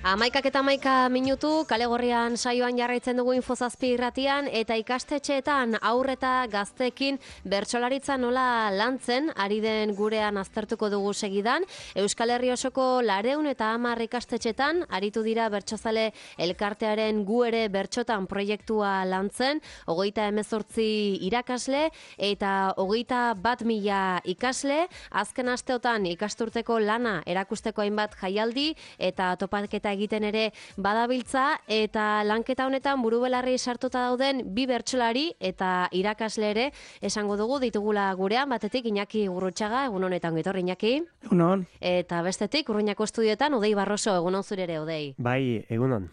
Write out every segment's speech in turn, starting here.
11 minutu, kale gorrian saioan jarraitzen dugu Infozazpi irratian, eta ikastetxeetan aurreta gazteekin bertsolaritza nola lantzen, ari den gurean aztertuko dugu segidan. Euskal Herri osoko 210 ikastetxeetan, aritu dira bertsozale elkartearen gu ere bertsotan proiektua lantzen, 38 irakasle eta 21.000 ikasle, azken asteotan ikasturteko lana erakusteko hainbat jaialdi eta topaketa egiten ere badabiltza, eta lanketa honetan burubelarri sartuta dauden bi bertsolari eta irakasle ere esango dugu ditugula gurean, batetik Iñaki Gurrutxaga, egun honetan getorri Iñaki. Egunon. Eta bestetik Urruñako estudioetan Odei Barroso, egunon zure ere Odei. Bai, egunon.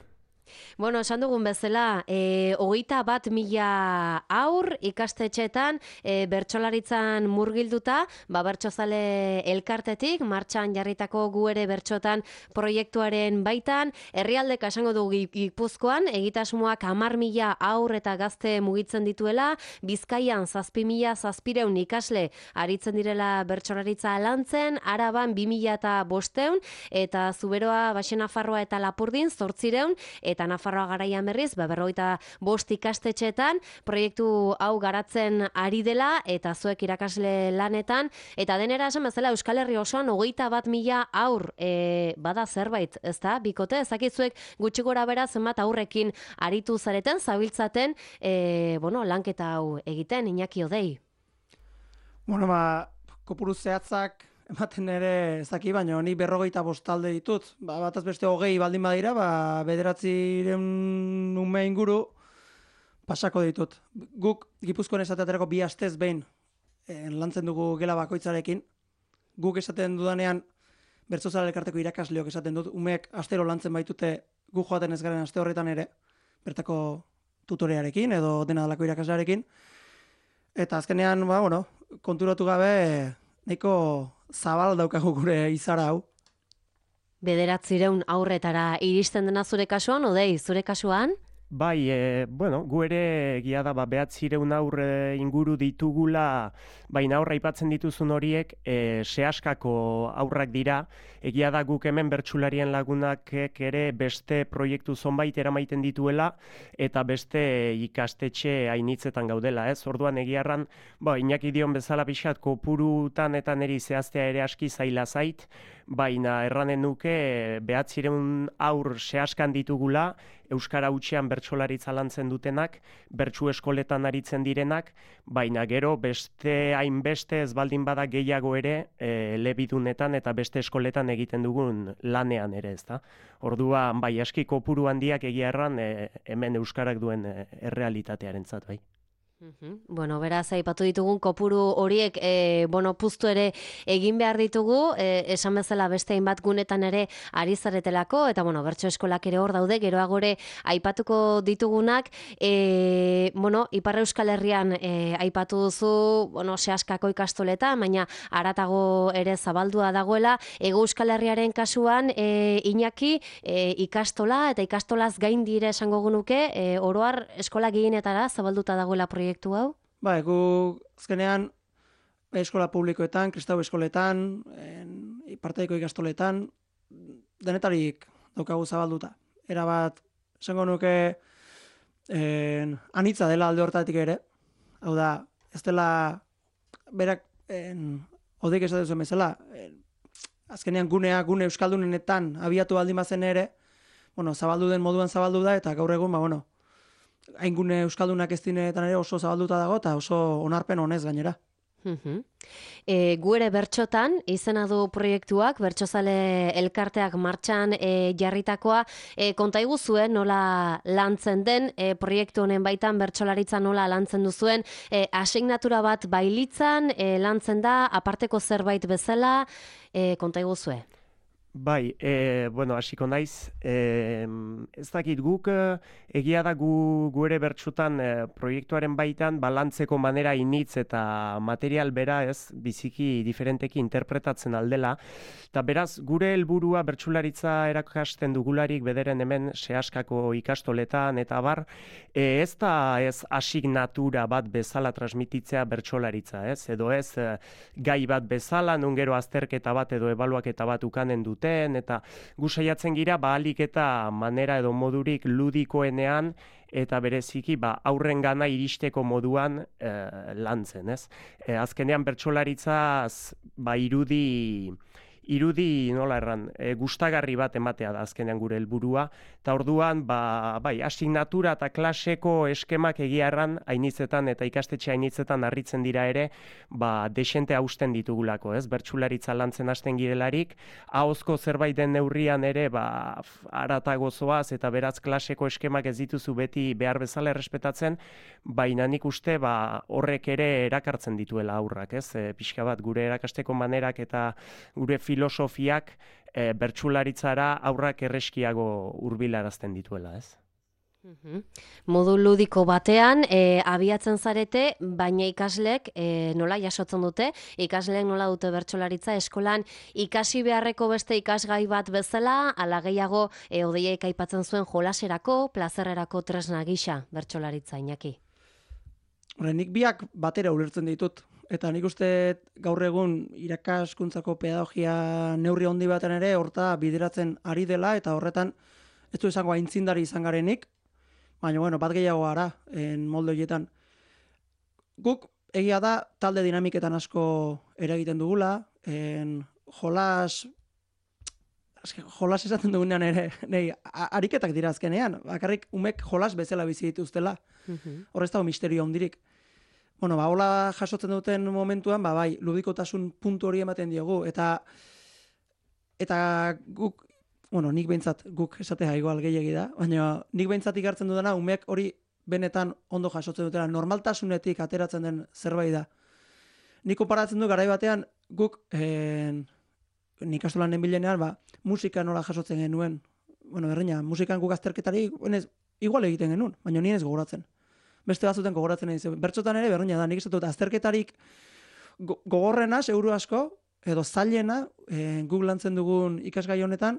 Bueno, esan dugun bezala, 21.000 haur ikastetxeetan bertsolaritzan murgilduta, bertsozale elkartetik, martxan jarritako gu ere bertsotan proiektuaren baitan, herrialdeka esango dugu Gipuzkoan, egitasmoak 10.000 haur eta gazte mugitzen dituela, Bizkaian 7.700 ikasle aritzen direla bertsolaritza lantzen, Araban 2.500 eta Zuberoa, Baxe Nafarroa eta Lapurdin 800, eta Nafarroa Garaian berriz, 45 ikastetxeetan proiektu hau garatzen ari dela, eta zuek irakasle lanetan, eta denera esan bezala Euskal Herri osoan 21.000 haur bada zerbait, ezta? Bikote, ezakizuek gutxi gora bera zenbat aurrekin aritu zareten, zabiltzaten, lanketa hau egiten, Iñaki Odei. Bueno, kopuru zehatzak ematen ere ezaki, baina ni 45 talde ditut. Bataz beste 20 baldin badira, 900 ume inguru pasako ditut. Guk Gipuzkoan esateaterako 2 astez behin lantzen dugu gela bakoitzarekin. Guk esaten dudanean bertsozale elkarteko irakasleok esaten dut, umeek astero lantzen baitute gu joaten ez garen aste horretan ere, bertako tutorearekin edo dena dalako irakaslearekin. Eta azkenean, konturatu gabe nahiko zabal daukagu gure izara hau. 900 aurretara iristen dena zure kasuan, Odei, zure kasuan? Bai, gu ere egia da 900 aurre inguru ditugula, baina aurra aipatzen dituzun horiek sehaskako aurrak dira. Egia da guk hemen bertsularien lagunak ere beste proiektu zonbait eramaiten dituela eta beste ikastetxe hainitzetan gaudela, ez? Orduan egiarran, Iñaki dion bezala pixkat kopurutan eta niri zehaztea ere aski zaila zait, baina erranen nuke 900 aur sehaskan ditugula, Euskara hutsean bertsolaritza lantzen dutenak, bertsu eskoletan aritzen direnak, baina gero beste hainbeste ez baldin bada gehiago ere elebidunetan eta beste eskoletan egiten dugun lanean ere, ezta? Orduan, aski kopuru handiak egia erran hemen Euskarak duen errealitatearentzat, bai. Beraz, aipatu ditugun kopuru horiek, puztu ere egin behar ditugu, esan bezala beste hainbat gunetan ere ari zaretelako, eta bertso eskolak ere hor daude, geroagore aipatuko ditugunak, Ipar Euskal Herrian aipatu duzu, sehaskako ikastoletan, baina haratago ere zabaldua dagoela, Hego Euskal Herriaren kasuan, Iñaki, ikastola eta ikastolaz gain dire esango genuke, oroar eskola gehienetara zabalduta dagoela proiektu hau? Gu azkenean eskola publikoetan, kristau eskoletan, ipartaiko ikastoletan, denetarik daukagu zabalduta. Erabat, esango nuke anitza dela alde hortatik ere. Hau da, ez dela berak Odeik esaten zuen bezala, azkenean gune euskaldunenetan abiatu baldin bazen ere, zabaldu den moduan zabaldu da, eta gaur egun, hain gune euskaldunak ez dinetan ere oso zabalduta dago, eta oso onarpen honez gainera. Gu ere bertsotan, izena du proiektuak, bertsozale elkarteak martxan jarritakoa, konta iguzuen nola lantzen den, proiektu honen baitan bertsolaritza nola lantzen duzuen, asignatura bat bailitzan, lantzen da, aparteko zerbait bezala, konta iguzue. Bai, hasiko naiz, ez dakit guk, egia da gu ere bertsutan proiektuaren baitan balantzeko manera initz eta material bera ez biziki diferenteki interpretatzen aldela, eta beraz gure helburua bertsularitza erakasten dugularik bederen hemen sehaskako ikastoletan eta bar, ez da ez asignatura bat bezala transmititzea bertsolaritza, ez? Edo ez gai bat bezala, nun gero azterketa bat edo ebaluaketa bat ukanen dut duten, eta gu saiatzen gira, ahalik eta manera edo modurik ludikoenean, eta bereziki aurren gana iristeko moduan lantzen, ez? Azkenean bertsolaritzaz irudi nola erran, gustagarri bat ematea da azkenean gure helburua, eta orduan, asignatura eta klaseko eskemak egia erran hainitzetan eta ikastetxe hainitzetan harritzen dira ere, desente hausten ditugulako, ez? Bertsolaritza lantzen hasten girelarik, ahozko zerbait den neurrian ere, aratago zoaz eta beraz klaseko eskemak ez dituzu beti behar bezala errespetatzen, baina nik uste horrek ere erakartzen dituela aurrak, ez? Pixka bat gure erakasteko manerak eta gure filosofiak bertsularitzara aurrak erreskiago hurbilarazten dituela, ez? Modu ludiko batean abiatzen zarete, baina ikaslek nola jasotzen dute, ikasleek nola dute bertsolaritza eskolan ikasi beharreko beste ikasgai bat bezala, ala gehiago Odeiek aipatzen zuen jolaserako, plazerrerako tresna gisa bertsolaritza, Iñaki. Nik biak batera ulertzen ditut. Eta nik uste gaur egun irakaskuntzako pedagogia neurri handi baten ere horta bideratzen ari dela, eta horretan ez du esango aintzindari izan garenik, baina bat gehiago gara molde horietan. Guk egia da talde dinamiketan asko eragiten dugula, jolas esaten dugunean ere, ariketak dira azkenean, bakarrik umek jolas bezala bizi dituztela. Horrez dago misterio handirik. Hola jasotzen duten momentuan, ludikotasun puntu hori ematen diogu, eta guk, nik behintzat guk esatea igual gehiegi da, baina nik behintzat ikartzen dudana, umeak hori benetan ondo jasotzen dutela, normaltasunetik ateratzen den zerbait da. Nik konparatzen du garai batean, guk, nik astolan nenbilenean, musika nola jasotzen genuen, berdina, musikan guk azterketari, igual egiten genuen, baina nien ez gogoratzen. Beste batzuten gogoratzen egin. Bertsotan ere, berdina da, nik ez dut azterketarik gogorrena, seguru asko, edo zailena, guk lantzen dugun ikasgai honetan,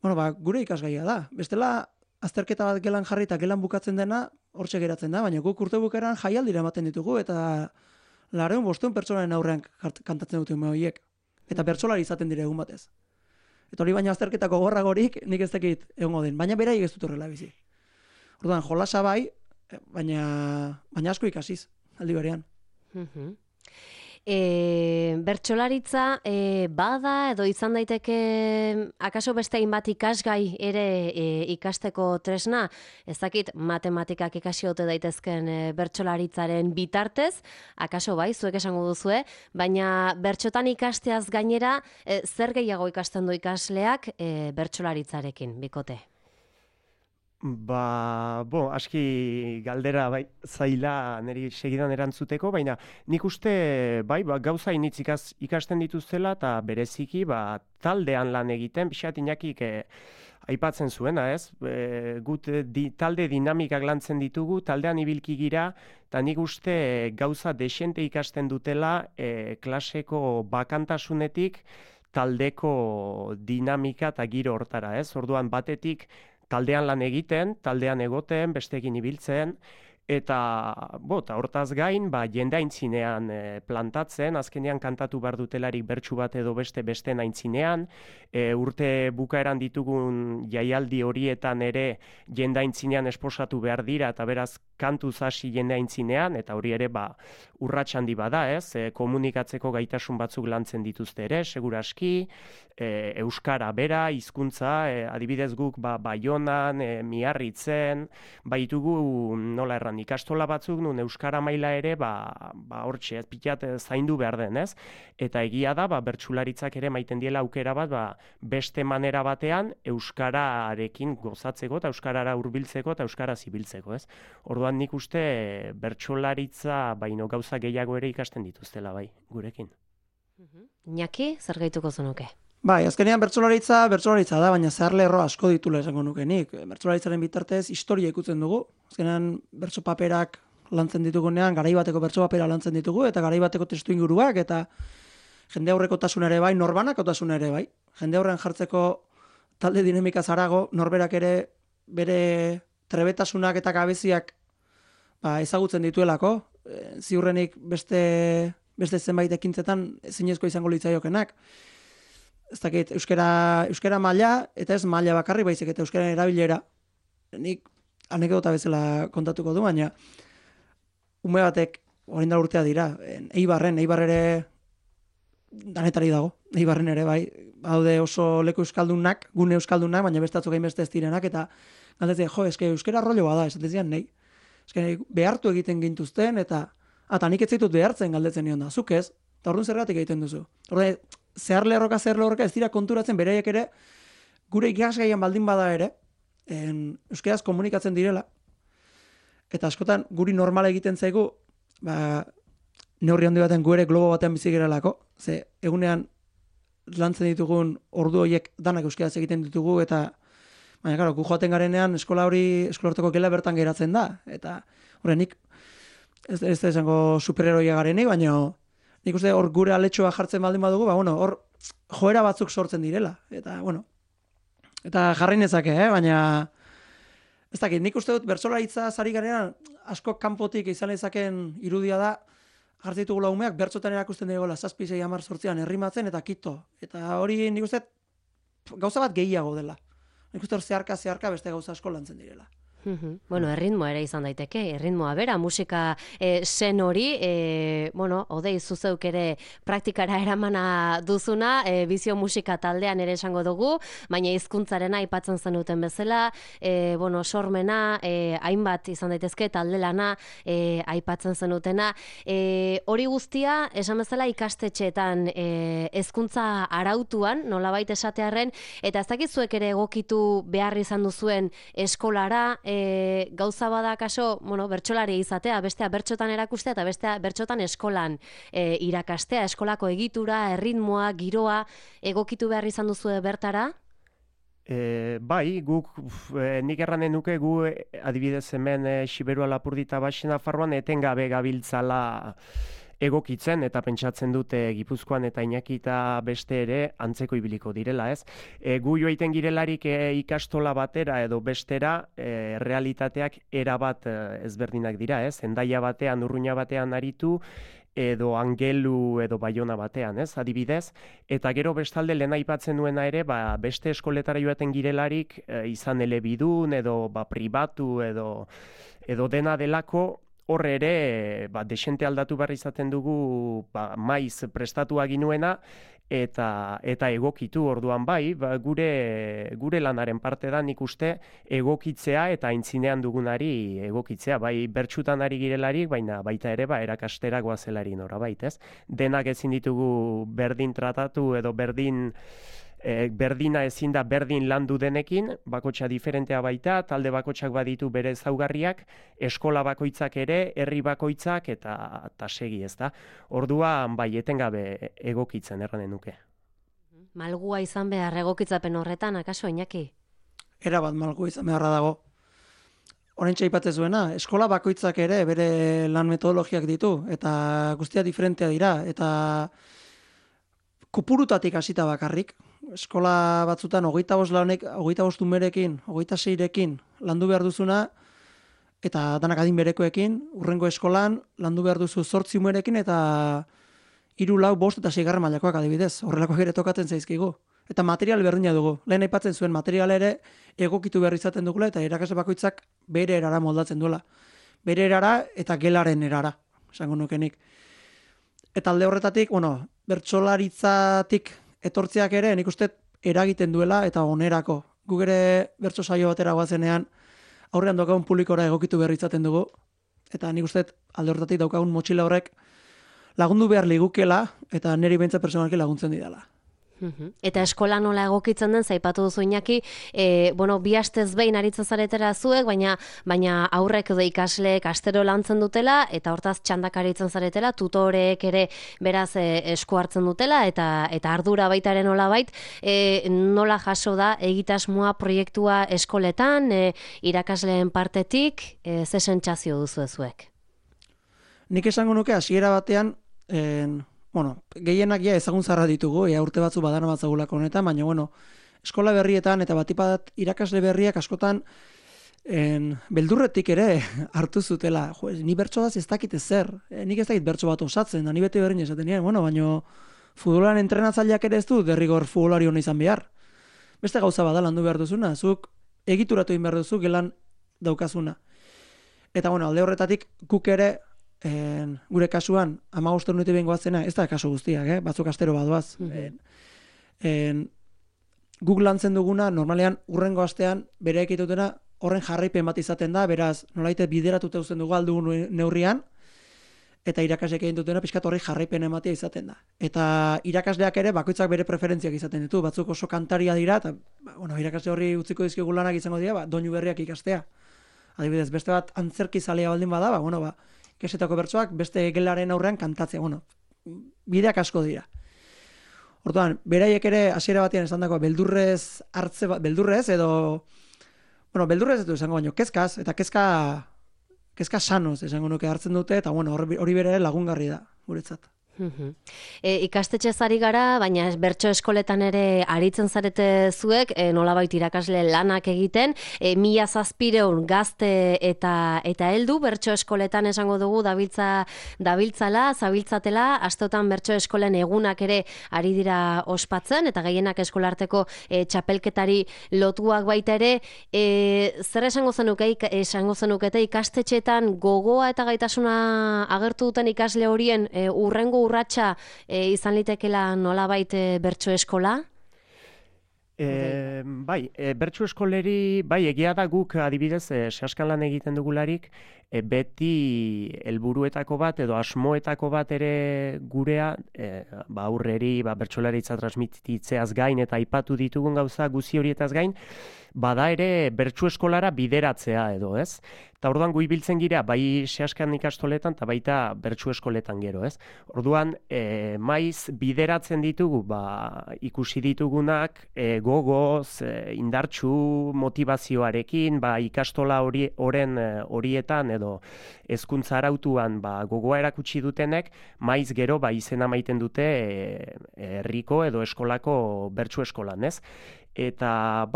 gure ikasgaia da. Bestela, azterketa bat gelan jarri eta gelan bukatzen dena, hortxe geratzen da, baina guk urte bukeran jaialdira ematen ditugu, eta 500 pertsonaren aurrean kantatzen dute ume horiek. Eta bertsolari izaten dire egun batez. Eta hori baina azterketako gorragorik nik ez dakit egongo den, baina beraiek ez dut horrela bizi. Orduan, jolasa bai, baina asko ikasiz, aldi berean. Bertsolaritza bada edo izan daiteke akaso beste hainbat ikasgai ere ikasteko tresna, ez dakit matematikak ikasi ote daitezken bertsolaritzaren bitartez, akaso bai, zuek esango duzue, baina bertsotan ikasteaz gainera zer gehiago ikasten du ikasleak bertsolaritzarekin, bikote? Aski galdera zaila niri segidan erantzuteko, baina nik uste gauza initz ikasten dituztela eta bereziki taldean lan egiten, pixat Iñakik aipatzen zuena, ez? Gut talde dinamikak lantzen ditugu, taldean ibilki gira, eta nik uste gauza desente ikasten dutela klaseko bakantasunetik taldeko dinamika eta giro hortara, ez? Orduan batetik taldean lan egiten, taldean egoten, bestekin ibiltzen, eta hortaz gain, jende aintzinean plantatzen, azkenean kantatu behar dutelarik bertsu bat edo besten aintzinean, urte bukaeran ditugun jaialdi horietan ere jende aintzinean esposatu behar dira, eta beraz kantuz hasi jende aintzinean, eta hori ere urrats handi bada, ez? Komunikatzeko gaitasun batzuk lantzen dituzte ere, seguraski, euskara bera, hizkuntza, adibidez guk Baionan, Miarritzen, baitugu nola erran ikastola batzuk nun euskara maila ere hortxe, pilat zaindu behar den, ez? Eta egia da, bertsularitzak ere maiten diela aukera bat, beste manera batean euskararekin gozatzeko eta euskarara hurbiltzeko eta euskara zibiltzeko, ez? Orduan nik uste bertsolaritza baino gauza gehiago ere ikasten dituztela gurekin. Iñaki, zer gehituko zenuke? Azkenean bertsolaritza da, baina zehar lerro asko ditula esango nuke nik. Bertsolaritzaren bitartez historia ikutzen dugu. Azkenean bertso paperak lantzen ditugunean, garai bateko bertso papera lantzen ditugu, eta garai bateko testu inguruak, eta jende aurrekotasun ere bai, norbanakotasun ere bai. Jende aurrean jartzeko talde dinamika zarago, norberak ere bere trebetasunak eta gabeziak ezagutzen dituelako. Ziurrenik beste zenbait ekintzetan ezinezko izango litzaiokenak. ez dakit, euskara maila, eta ez maila bakarri baizik, eta euskara erabilera. Nik anekdota bezala kontatuko du, baina ume batek, orain da urtea dira, Eibar ere danetari dago, Eibarren ere, bai, haude oso leku euskaldunak, gune euskaldunak, baina beste atzuk beste ez direnak, eta galdetzen, eske euskara rollo bada, esaten zian, nahi. Eske behartu egiten gintuzten, eta nik ez zaitut behartzen galdetzen nion da, zuk ez, eta orduan zergatik egiten duzu. Orduan, zehar lerroka, ez dira konturatzen beraiek ere, gure ikasgaian baldin bada ere, euskaraz komunikatzen direla, eta askotan guri normal egiten zaigu, neurri handi baten gu ere globo batean bizi gerelako, ze egunean lantzen ditugun ordu horiek danak euskaraz egiten ditugu, eta baina, karo, gu joaten garenean eskola horteko gela bertan geratzen da, eta horrenik, ez da esango superheroia garenik, baina nik uste hor gure aletxoa jartzen baldin badugu, hor joera batzuk sortzen direla, eta, eta jarri nezake, baina ez dakit, nik uste dut bertsolaritza zari garenean asko kanpotik izan ezaken irudia da, jartzen ditugula umeak, bertsotan erakusten dugu 7-6-10 errimatzen eta kito. Eta hori nik uste gauza bat gehiago dela. Nik uste hor zeharka beste gauza asko lantzen direla. Bueno, erritmoa ere izan daiteke, erritmoa bera, musika zen hori, odei zuzeuk ere praktikara eramana duzuna, bizio musika taldean ere esango dugu, baina hizkuntzarena aipatzen zenuten bezala, sormena, hainbat izan daitezke, talde lana aipatzen zenutena. Hori guztia, esan bezala ikastetxeetan hezkuntza arautuan, nolabait esatearren, eta ez dakizuek ere egokitu behar izan duzuen eskolara, gauza bada kaso, bertsolari izatea, bestea bertsotan erakustea eta bestea bertsotan eskolan irakastea, eskolako egitura, erritmoa, giroa, egokitu behar izan duzu bertara? Bai, guk, nik erranen nuke gu adibidez hemen Xiberua Lapurdita Baxena Farroan etengabe gabiltzala egokitzen eta pentsatzen dute Gipuzkoan eta Iñaki eta beste ere antzeko ibiliko direla, ez? Gu joaiten girelarik ikastola batera edo bestera realitateak erabat ezberdinak dira, ez? Hendaia batean, Urruña batean aritu, edo Angelu edo Baiona batean, ez? Adibidez, eta gero bestalde lehen aipatzen nuena ere, beste eskoletara joaten girelarik izan elebidun edo pribatu edo dena delako, horre ere, desente aldatu behar izaten dugu maiz prestatua ginuena eta egokitu orduan bai, gure lanaren parte da nik uste egokitzea eta aintzinean dugunari egokitzea, bai bertsutan ari girelarik, baina baita ere erakastera goazelari norabait, ez? Denak ezin ditugu berdin tratatu edo berdina ezin da berdin landu denekin, bakotxa diferentea baita, talde bakotxak baditu bere ezaugarriak, eskola bakoitzak ere, herri bakoitzak eta segi, ez da. Orduan bai etengabe egokitzen erranen nuke. Malgua izan behar egokitzapen horretan, akaso, Iñaki? Erabat malgua izan beharra dago. Horentxe aipatzen zuena, eskola bakoitzak ere bere lan metodologiak ditu, eta guztia diferentea dira, eta kopurutatik hasita bakarrik. Eskola batzutan 25 umerekin, 26rekin landu behar duzuna, eta danak adin berekoekin, urrengo eskolan landu behar duzu 8 umerekin, eta 3, 4, 5 eta 6 mailakoak adibidez. Horrelakoak ere tokatzen zaizkigu. Eta material berdina dugu. Lehen aipatzen zuen material ere egokitu behar izaten dugula, eta irakasle bakoitzak bere erara moldatzen duela. Bere erara eta gelaren erara, esango nukenik. Eta alde horretatik, bertsolaritzatik etortzeak ere, nik uste eragiten duela eta onerako. Guk ere bertso saio batera goazenean aurrean daukagun publikora egokitu behar izaten dugu, eta nik uste alde horretatik daukagun motxila horrek lagundu behar ligukela eta niri behintzat personalki laguntzen didala. Eta eskola nola egokitzen den, zaipatu duzu Iñaki, bi astez behin aritzen zaretera zuek, baina aurrek edo ikasleek astero lantzen dutela, eta hortaz txandak aritzen zaretela, tutoreek ere beraz esku hartzen dutela, eta ardura baitaren nola bait, nola jaso da egitasmoa proiektua eskoletan, irakasleen partetik, ze sentsazio duzu zuek? Nik esango nuke hasiera batean, gehienak ezagun zarra ditugu, urte batzu badana batzagulako honetan, baina eskola berrietan eta batipat irakasle berriak askotan beldurretik ere hartu zutela. Ni bertso ez dakit ezer, nik ez dakit bertso bat osatzen, da ni bete berdin esaten nien, baina Futbolan entrenatzaileak ere ez du derrigor futbolari hona izan behar. Beste gauza bada landu behar duzuna, zuk egituratu egin behar duzu gelan daukazuna. Eta bueno, alde horretatik guk ere gure kasuan 15 urte behin goazena, ez da kasu guztiak, batzuk astero badoaz. Guk lantzen duguna, normalean urrengo astean bere ekitutena horren jarraipen bat izaten da, beraz, nolaite bideratuta uzten dugu aldugun neurrian, eta irakasleak egin dutena pixkat horri jarraipen ematea izaten da. Eta irakasleak ere bakoitzak bere preferentziak izaten ditu, batzuk oso kantaria dira, eta irakasle horri utziko dizkigu lanak izango dira, doinu berriak ikastea. Adibidez, beste bat antzerki zalea baldin bada, ikesetako bertsoak beste gelaren aurrean kantatzea, bideak asko dira. Orduan, beraiek ere hasiera batean esandako beldurrez edo beldurrez ez du esango baino, kezkaz, eta kezka sanoz esango nuke hartzen dute, eta hori bere lagungarri da, guretzat. Ikastetxe ari gara, baina bertso eskoletan ere aritzen zarete zuek, nolabait irakasle lanak egiten, 1700 gazte eta heldu bertso eskoletan esango dugu zabiltzatela, astotan bertso eskolen egunak ere ari dira ospatzen, eta gehienak eskolarteko txapelketari lotuak baita ere, zer esango zenukete ikastetxeetan gogoa eta gaitasuna agertu duten ikasle horien urrengo urratsa izan litekela nolabait bertso eskola? Bertso eskoleri, egia da guk adibidez saskan lan egiten dugularik, beti helburuetako bat edo asmoetako bat ere gurea, aurreri bertsolaritza transmititzeaz gain eta aipatu ditugun gauza guzi horietaz gain, bada ere bertso eskolara bideratzea edo, ez? Eta orduan gu ibiltzen gira, bai sehaskan ikastoletan eta baita bertso eskoletan gero, ez? Orduan, maiz bideratzen ditugu, ikusi ditugunak, gogoz, indartsu motivazioarekin, ikastola horietan edo hezkuntza arautuan gogoa erakutsi dutenek, maiz gero izena maiten dute herriko edo eskolako bertso eskolan, ez? Eta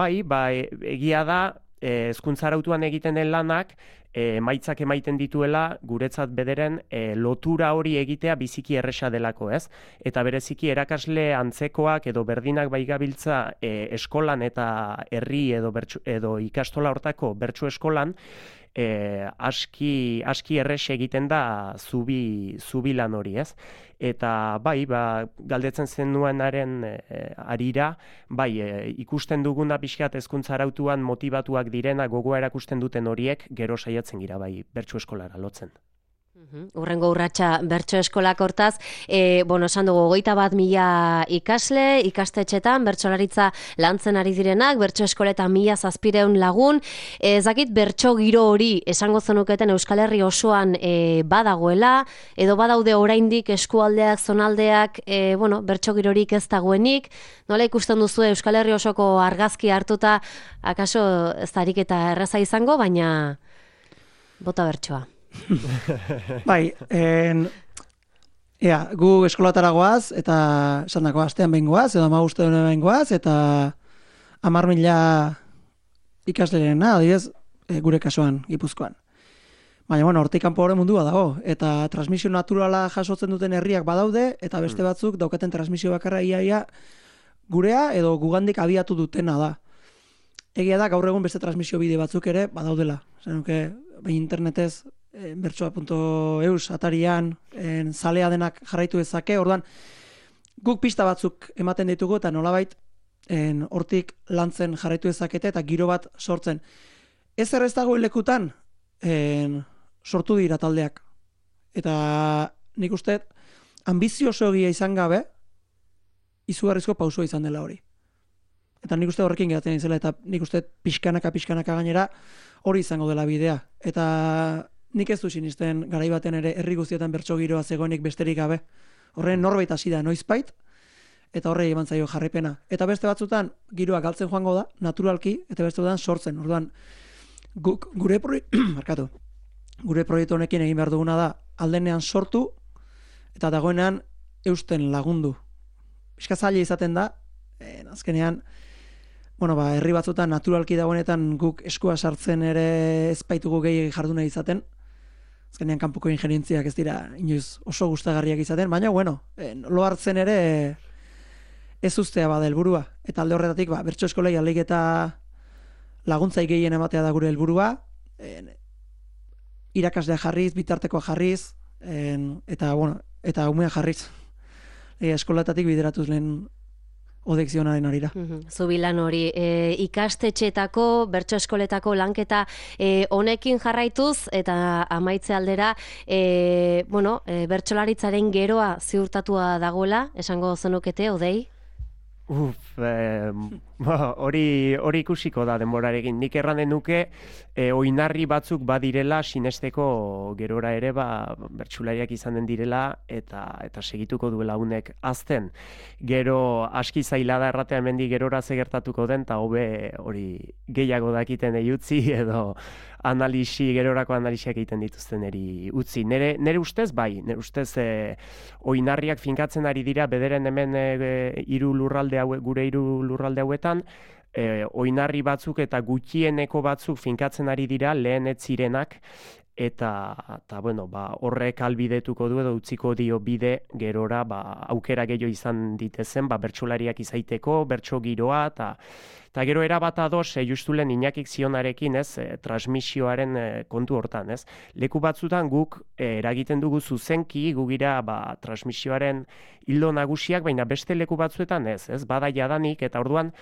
egia da, hezkuntza arautuan egiten den lanak, emaitzak emaiten dituela guretzat bederen lotura hori egitea biziki erresa delako, ez? Eta bereziki erakasle antzekoak edo berdinak gabiltza eskolan eta herri edo ikastola hortako bertso eskolan, aski erres egiten da zubi lan hori, ez? Eta galdetzen zenuenaren arira, ikusten duguna pixkat hezkuntza arautuan motibatuak direna gogoa erakusten duten horiek gero saiatzen gira bertso eskolara lotzen. Urrengo urratsa bertso eskolak hortaz, esan dugu 21.000 ikasle, ikastetxetan, bertsolaritza lantzen ari direnak, bertso eskoletan 1700 lagun, ezakit bertso giro hori esango zenuketen Euskal Herri osoan badagoela, edo badaude oraindik eskualdeak, zonaldeak, bertso girorik ez dagoenik, nola ikusten duzu Euskal Herri osoko argazki hartuta, akaso ez darik eta erraza izango, baina bota bertsoa. Gu eskolatara goaz, eta esan dako astean behin goaz, edo 15 behin goaz, eta 10.000 ikaslerena, adibidez, gure kasuan, Gipuzkoan. Baina, hortik kanpo horren mundua dago, eta transmisio naturala jasotzen duten herriak badaude, eta beste batzuk daukaten transmisio bakarra iaia gurea edo gugandik abiatu dutena da. Egia da, gaur egun beste transmisio bide batzuk ere badaudela. Zenuke, internetez, bertsoa.eus atarian zalea denak jarraitu dezake, orduan guk pista batzuk ematen ditugu eta nolabait hortik lantzen jarraitu dezakete eta giro bat sortzen. Ez errez dago lekutan sortu dira taldeak. Eta nik uste ambizioso egia izan gabe izugarrizko pausua izan dela hori. Eta nik uste horrekin geratzen izela eta nik uste pixkanaka gainera hori izango dela bidea. Eta nik ez du sinisten garai baten ere herri guztietan bertso giroa zegoenik besterik gabe. Horren norbait hasi da noizbait eta horrei eman zaio jarraipena. Eta beste batzutan giroa galtzen joango da, naturalki, eta beste batzutan sortzen. Orduan, gure proiektu honekin egin behar duguna da aldenean sortu eta dagoenean eusten lagundu. Pixka zaila izaten da, azkenean, herri batzutan naturalki dagoenetan guk eskua sartzen ere ez baitugu gehi jarduna izaten, azkenean kanpoko ingerientziak ez dira inoiz oso gustagarriak izaten, baina bueno, lo hartzen ere ez ustea bada helburua. Eta alde horretatik, bertso eskolei ahalik eta laguntzai gehien ematea da gure helburua, irakaslea jarriz, bitartekoa jarriz, eta umea jarriz. Eskolatatik bideratuz lehen odekzionaren arira. Zubilan hori, ikastetxeetako, bertso eskoletako lanketa honekin jarraituz, eta amaitze aldera, bertsolaritzaren geroa ziurtatua dagoela, esango zenukete, Odei? Hori ikusiko da denborarekin. Nik erranen nuke, oinarri batzuk badirela sinesteko gerora ere bertsulariak izanen direla eta segituko duela unek azten. Gero aski zaila da erratean mendi gerora zegertatuko den, eta hobe hori gehiago dakiten utzi edo gerorako analisiak egiten dituzten eri utzi. Nere ustez, nere ustez oinarriak finkatzen ari dira bederen hemen gure hiru lurralde hauetan, oinarri batzuk eta gutxieneko batzuk finkatzen ari dira lehen ez zirenak, eta horrek albidetuko du edo utziko dio bide gerora aukera gehiago izan ditezen bertsolariak izaiteko, bertso giroa, eta gero erabat ados justulen Iñakik zionarekin, transmisioaren kontu hortan, Leku batzutan guk eragiten dugu zuzenki, gugira transmisioaren hildo nagusiak, baina beste leku batzuetan bada jadanik, eta orduan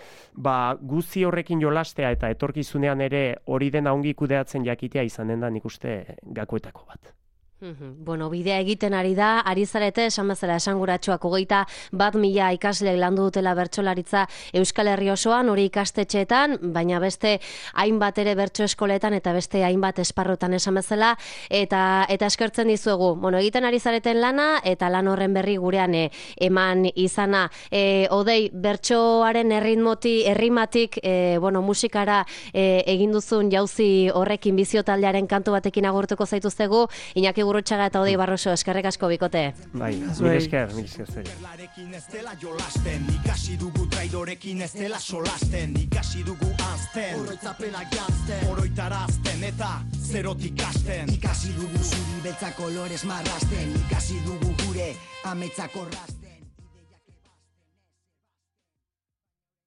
guzti horrekin jolastea eta etorkizunean ere hori dena ongi kudeatzen jakitea izanen da nik uste gakoetako bat. Bidea egiten ari da, ari zarete, esan bezala esanguratsuak 21.000 ikasleek landu dutela bertsolaritza Euskal Herri osoan, hori ikastetxeetan, baina beste hainbat ere bertso eskoletan eta beste hainbat esparrotan esan bezala, eta eskertzen dizuegu. Egiten ari zareten lana, eta lan horren berri gurean eman izana. Odei, bertsoaren errimatik, musikara egin duzun jauzi horrekin bizio taldearen kantu batekin agurtuko zaituztegu, Iñaki Gurrutxaga eta Odei Barroso, eskerrik asko bikote. Mil esker. Ikasi dugu traidorekin ez dela solasten, ikasi dugu azten, oroitzapena janzten, oroitarazten eta zerotik hasten. Ikasi dugu zuri beltza kolorez marrasten, ikasi dugu gure ametsak orrazten.